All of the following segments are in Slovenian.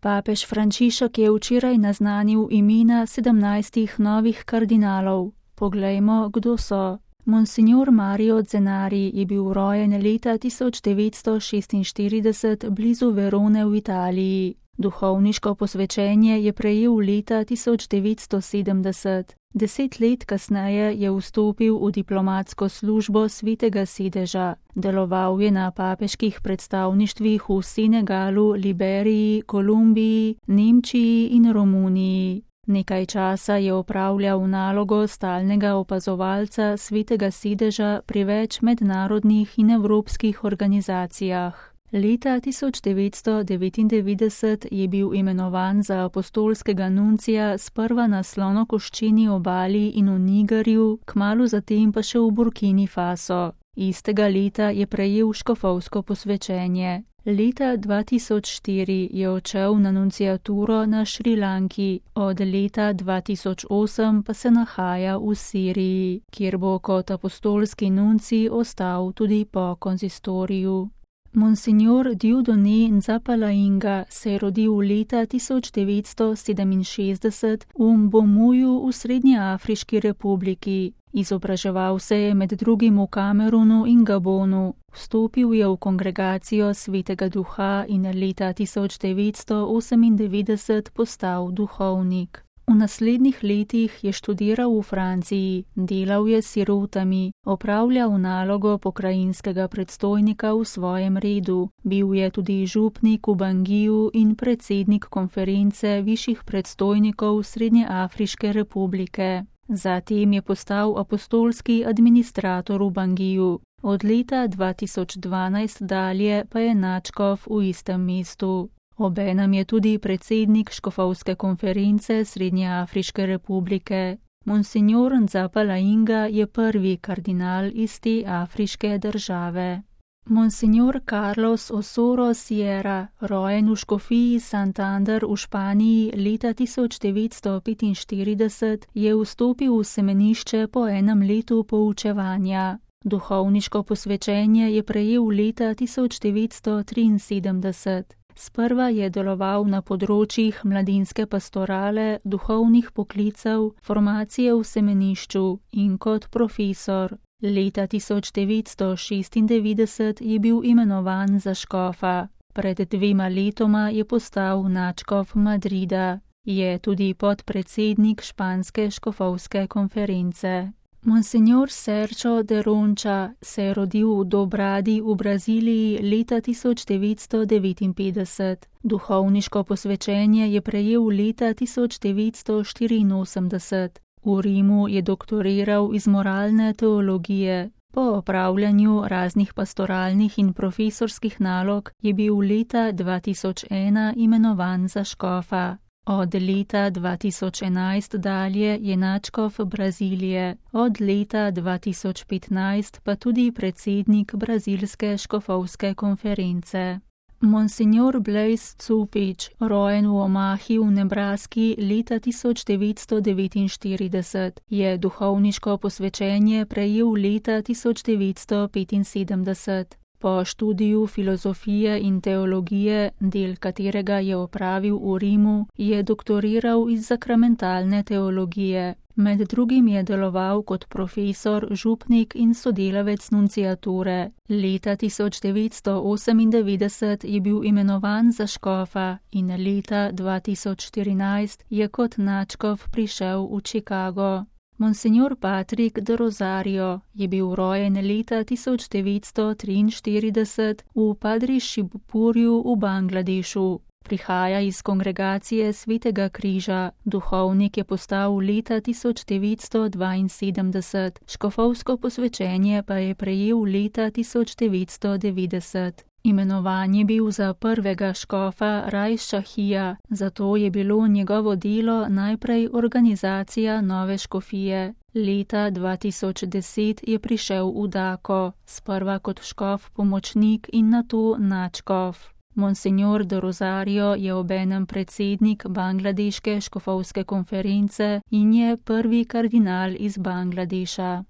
Papež Frančišek je včeraj naznanil imena 17 novih kardinalov. Poglejmo, kdo so. Monsignor Mario Zenari je bil rojen leta 1946 blizu Verone v Italiji. Duhovniško posvečenje je prejel leta 1970. 10 let kasneje je vstopil v diplomatsko službo Svetega sedeža. Deloval je na papeških predstavništvih v Senegalu, Liberiji, Kolumbiji, Nemčiji in Romuniji. Nekaj časa je opravljal nalogo stalnega opazovalca Svetega sedeža pri več mednarodnih in evropskih organizacijah. Leta 1999 je bil imenovan za apostolskega nuncija sprva na Slonokoščeni obali in v Nigerju, kmalu zatem pa še v Burkini Faso. Istega leta je prejel škofovsko posvečenje. Leta 2004 je odšel na nunciaturo na Šrilanki, od leta 2008 pa se nahaja v Siriji, kjer bo kot apostolski nuncij ostal tudi po konzistoriju. Monsignor Dieudonné Nzapalainga se je rodil leta 1967 v Mbomuju v Srednjeafriški republiki. Izobraževal se je med drugim v Kamerunu in Gabonu. Vstopil je v kongregacijo Svetega duha in leta 1998 postal duhovnik. V naslednjih letih je študiral v Franciji, delal je s sirotami, opravljal nalogo pokrajinskega predstojnika v svojem redu, bil je tudi župnik v Bangiju in predsednik konference višjih predstojnikov Srednjeafriške republike. Zatem je postal apostolski administrator v Bangiju. Od leta 2012 dalje pa je nadškof v istem mestu. Obenem je tudi predsednik škofovske konference Srednjeafriške republike. Monsignor Nzapalainga je prvi kardinal iz te afriške države. Monsignor Carlos Osoro Sierra, rojen v škofiji Santander v Španiji leta 1945, je vstopil v semenišče po enem letu poučevanja. Duhovniško posvečenje je prejel leta 1973. Sprva je deloval na področjih mladinske pastorale, duhovnih poklicev, formacije v semenišču in kot profesor. Leta 1996 je bil imenovan za škofa. Pred 2 letoma je postal nadškof Madrida. Je tudi podpredsednik španske škofovske konference. Monsignor Sergio de Roncha se je rodil v Dobradi v Braziliji leta 1959. Duhovniško posvečenje je prejel leta 1984. V Rimu je doktoriral iz moralne teologije. Po opravljanju raznih pastoralnih in profesorskih nalog je bil leta 2001 imenovan za škofa. Od leta 2011 dalje je nadškof Brazilije, od leta 2015 pa tudi predsednik brazilske škofovske konference. Monsignor Blaise Tsupič, rojen v Omahi v Nebraski leta 1949, je duhovniško posvečenje prejel leta 1975. Po študiju filozofije in teologije, del katerega je opravil v Rimu, je doktoriral iz sakramentalne teologije. Med drugim je deloval kot profesor, župnik in sodelavec nunciature. Leta 1998 je bil imenovan za škofa in leta 2014 je kot nadškof prišel v Chicago. Monsignor Patrick de Rosario je bil rojen leta 1943 v Padri Shibpurju v Bangladešu. Prihaja iz kongregacije Svetega križa, duhovnik je postal leta 1972, škofovsko posvečenje pa je prejel leta 1990. Imenovan je bil za prvega škofa Rajs Šahija, zato je bilo njegovo delo najprej organizacija nove škofije. Leta 2010 je prišel v Dako, sprva kot škof pomočnik in nato nadškof. Monsignor de Rosario je obenem predsednik Bangladeške škofovske konference in je prvi kardinal iz Bangladeša.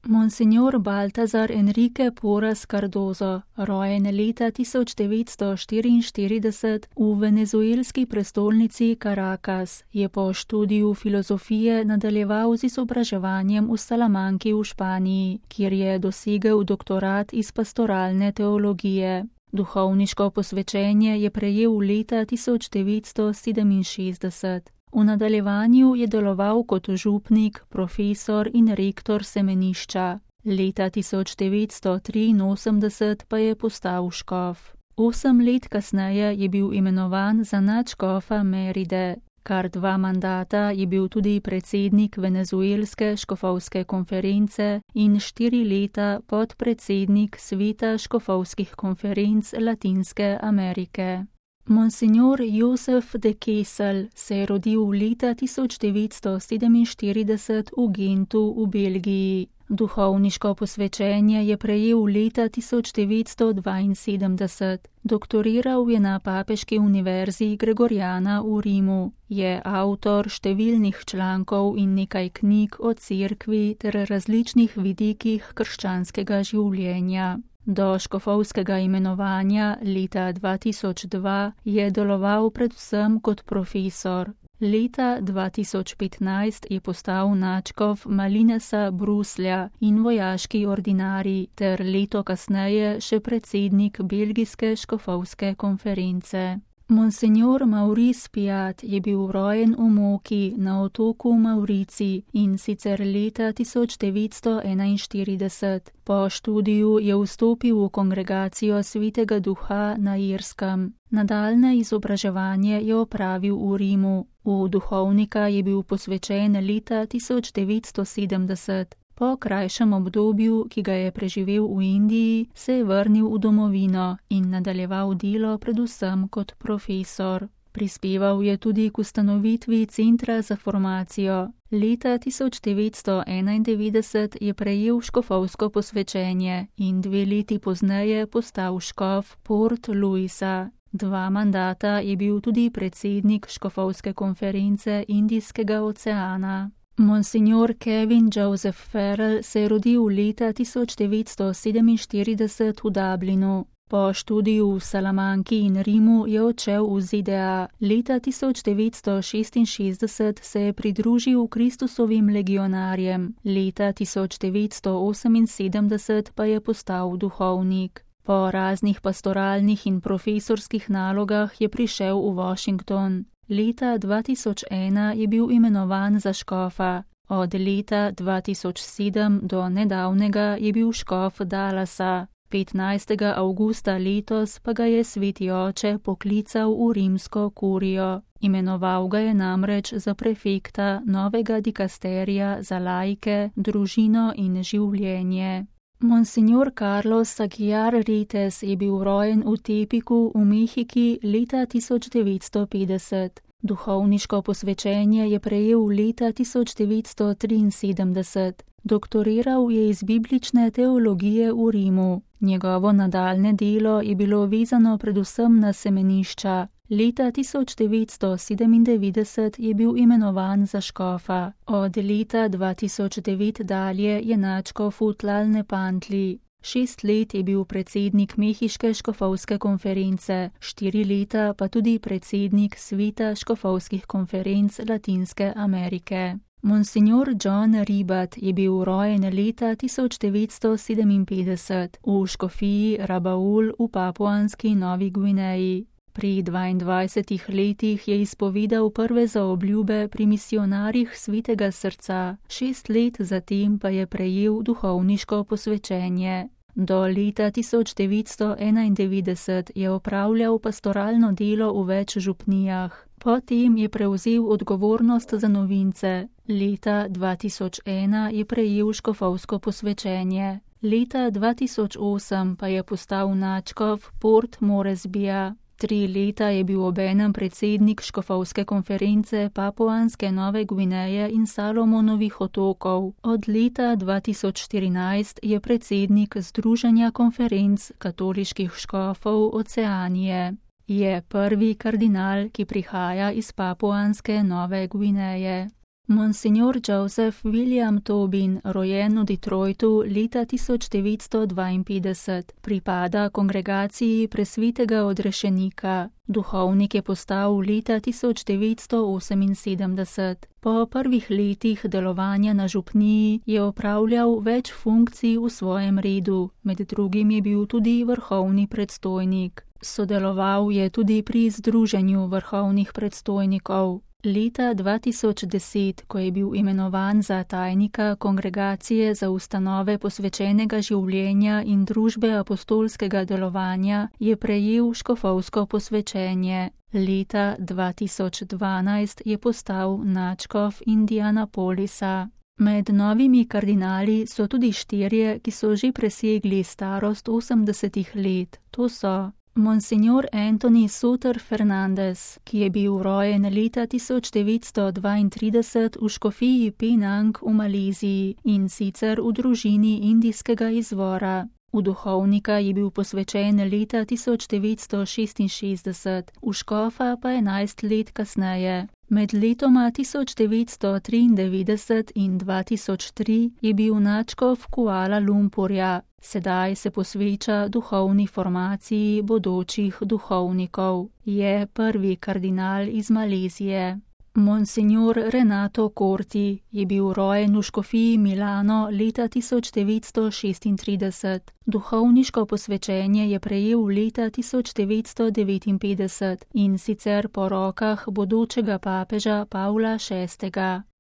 Monsignor Baltazar Enrique Porras Cardozo, rojen leta 1944 v venezuelski prestolnici Caracas, je po študiju filozofije nadaljeval z izobraževanjem v Salamanki v Španiji, kjer je dosegel doktorat iz pastoralne teologije. Duhovniško posvečenje je prejel leta 1967. V nadaljevanju je deloval kot župnik, profesor in rektor semenišča. Leta 1983 pa je postal škof. 8 let kasneje je bil imenovan za nadškofa Meride. Kar 2 mandata je bil tudi predsednik venezuelske škofovske konference in 4 leta podpredsednik sveta škofovskih konferenc Latinske Amerike. Monsignor Josef de Kessel se je rodil leta 1947 v Gentu v Belgiji. Duhovniško posvečenje je prejel leta 1972. Doktoriral je na Papeški univerzi Gregoriana v Rimu. Je avtor številnih člankov in nekaj knjig o cerkvi ter različnih vidikih krščanskega življenja. Do škofovskega imenovanja leta 2002 je deloval predvsem kot profesor. Leta 2015 je postal nadškof Malinesa Bruslja in vojaški ordinarij ter leto kasneje še predsednik belgijske škofovske konference. Monsignor Maurice Piat je bil rojen v Moki na otoku Maurici in sicer leta 1941. Po študiju je vstopil v kongregacijo Svetega Duha na Irskem. Nadaljnje izobraževanje je opravil v Rimu. V duhovnika je bil posvečen leta 1970. Po krajšem obdobju, ki ga je preživel v Indiji, se je vrnil v domovino in nadaljeval delo predvsem kot profesor. Prispeval je tudi k ustanovitvi Centra za formacijo. Leta 1991 je prejel škofovsko posvečenje in 2 leti pozneje postal škof Port Louisa. 2 mandata je bil tudi predsednik škofovske konference Indijskega oceana. Monsignor Kevin Joseph Farrell se je rodil leta 1947 v Dublinu. Po študiju v Salamanki in Rimu je odšel v ZDA. Leta 1966 se je pridružil Kristusovim legionarjem. Leta 1978 pa je postal duhovnik. Po raznih pastoralnih in profesorskih nalogah je prišel v Washington. Leta 2001 je bil imenovan za škofa. Od leta 2007 do nedavnega je bil škof Dallasa. 15. avgusta letos pa ga je sveti oče poklical v rimsko kurijo. Imenoval ga je namreč za prefekta novega dikasterija za laike, družino in življenje. Monsignor Carlos Aguiar Rites je bil rojen v Tepiku v Mehiki leta 1950. Duhovniško posvečenje je prejel leta 1973. Doktoriral je iz biblične teologije v Rimu. Njegovo nadaljne delo je bilo vezano predvsem na semenišča. Leta 1997 je bil imenovan za škofa. Od leta 2009 dalje je nadškof v Tlalnepantli. 6 let je bil predsednik Mehiške škofovske konference, 4 leta pa tudi predsednik sveta škofovskih konferenc Latinske Amerike. Monsignor John Ribat je bil rojen leta 1957 v škofiji Rabaul v Papuanski Novi Gvineji. Pri 22 letih je izpovedal prve zaobljube pri misionarjih Svetega srca, 6 let zatem pa je prejel duhovniško posvečenje. Do leta 1991 je opravljal pastoralno delo v več župnijah. Potem je prevzel odgovornost za novince. Leta 2001 je prejel škofovsko posvečenje. Leta 2008 pa je postal nadškof Port Moresbija. 3 leta je bil obenem predsednik škofovske konference Papuanske Nove Gvineje in Salomonovih otokov. Od leta 2014 je predsednik Združenja konferenc katoliških škofov Oceanije. Je prvi kardinal, ki prihaja iz Papuanske Nove Gvineje. Monsignor Joseph William Tobin, rojen v Detroitu leta 1952, pripada kongregaciji Presvetega odrešenika. Duhovnik je postal leta 1978. Po prvih letih delovanja na župniji je opravljal več funkcij v svojem redu, med drugim je bil tudi vrhovni predstojnik. Sodeloval je tudi pri Združenju vrhovnih predstojnikov. Leta 2010, ko je bil imenovan za tajnika Kongregacije za ustanove posvečenega življenja in družbe apostolskega delovanja, je prejel škofovsko posvečenje. Leta 2012 je postal nadškof Indianapolisa. Med novimi kardinali so tudi 4, ki so že presegli starost 80 let. To so Monsignor Anthony Soter Fernandez, ki je bil rojen leta 1932 v škofiji Penang v Maleziji in sicer v družini indijskega izvora. V duhovnika je bil posvečen leta 1966, v škofa pa 11 let kasneje. Med letoma 1993 in 2003 je bil nadškof Kuala Lumpurja. Sedaj se posveča duhovni formaciji bodočih duhovnikov. Je prvi kardinal iz Malezije. Monsignor Renato Corti je bil rojen v škofiji Milano leta 1936. Duhovniško posvečenje je prejel leta 1959 in sicer po rokah bodočega papeža Pavla VI.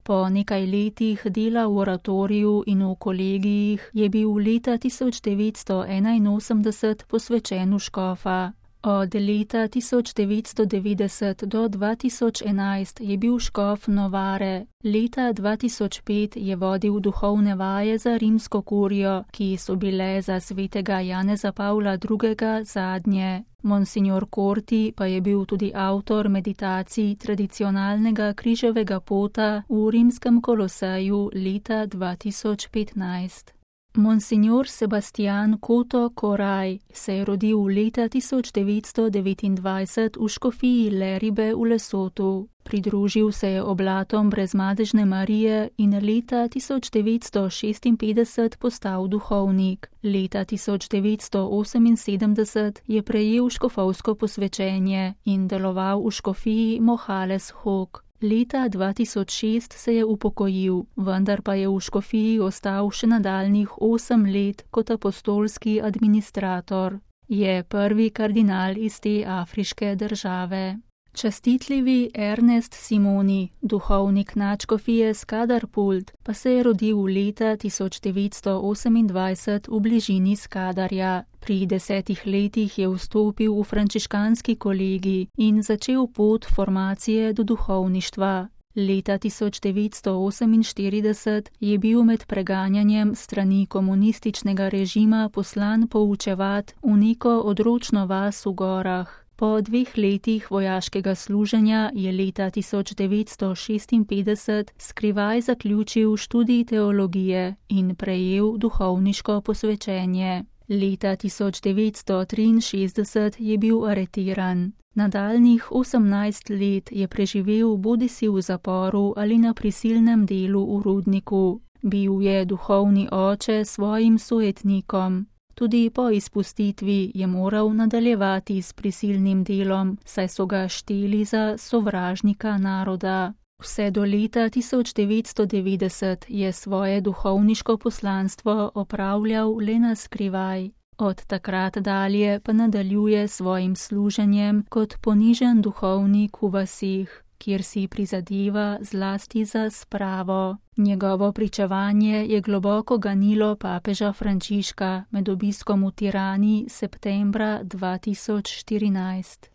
Po nekaj letih dela v oratoriju in v kolegijih je bil leta 1981 posvečen v škofa. Od leta 1990 do 2011 je bil škof Novare. Leta 2005 je vodil duhovne vaje za rimsko kurijo, ki so bile za svetega Janeza Pavla II. Zadnje. Monsignor Corti pa je bil tudi avtor meditacij tradicionalnega križevega pota v rimskem Koloseju leta 2015. Monsignor Sebastian Koto Koraj se je rodil leta 1929 v škofiji Leribe v Lesotu. Pridružil se je oblatom Brezmadežne Marije in leta 1956 postal duhovnik. Leta 1978 je prejel škofovsko posvečenje in deloval v škofiji Mohales Hok. Leta 2006 se je upokojil, vendar pa je v škofiji ostal še nadaljnjih 8 let kot apostolski administrator. Je prvi kardinal iz te afriške države. Častitljivi Ernest Simoni, duhovnik nadškofije Skadarpult, pa se je rodil leta 1928 v bližini Skadarja. Pri 10 letih je vstopil v frančiškanski kolegij in začel pot formacije do duhovništva. Leta 1948 je bil med preganjanjem strani komunističnega režima poslan poučevat v neko odročno vas v gorah. Po 2 letih vojaškega služenja je leta 1956 skrivaj zaključil študij teologije in prejel duhovniško posvečenje. Leta 1963 je bil aretiran. Nadaljnjih 18 let je preživel bodisi v zaporu ali na prisilnem delu v rudniku. Bil je duhovni oče svojim sojetnikom. Tudi po izpustitvi je moral nadaljevati s prisilnim delom, saj so ga šteli za sovražnika naroda. Vse do leta 1990 je svoje duhovniško poslanstvo opravljal le na skrivaj. Od takrat dalje pa nadaljuje svojim služenjem kot ponižen duhovnik v vasih, kjer si prizadeva zlasti za spravo. Njegovo pričevanje je globoko ganilo papeža Frančiška med obiskom v Tirani septembra 2014.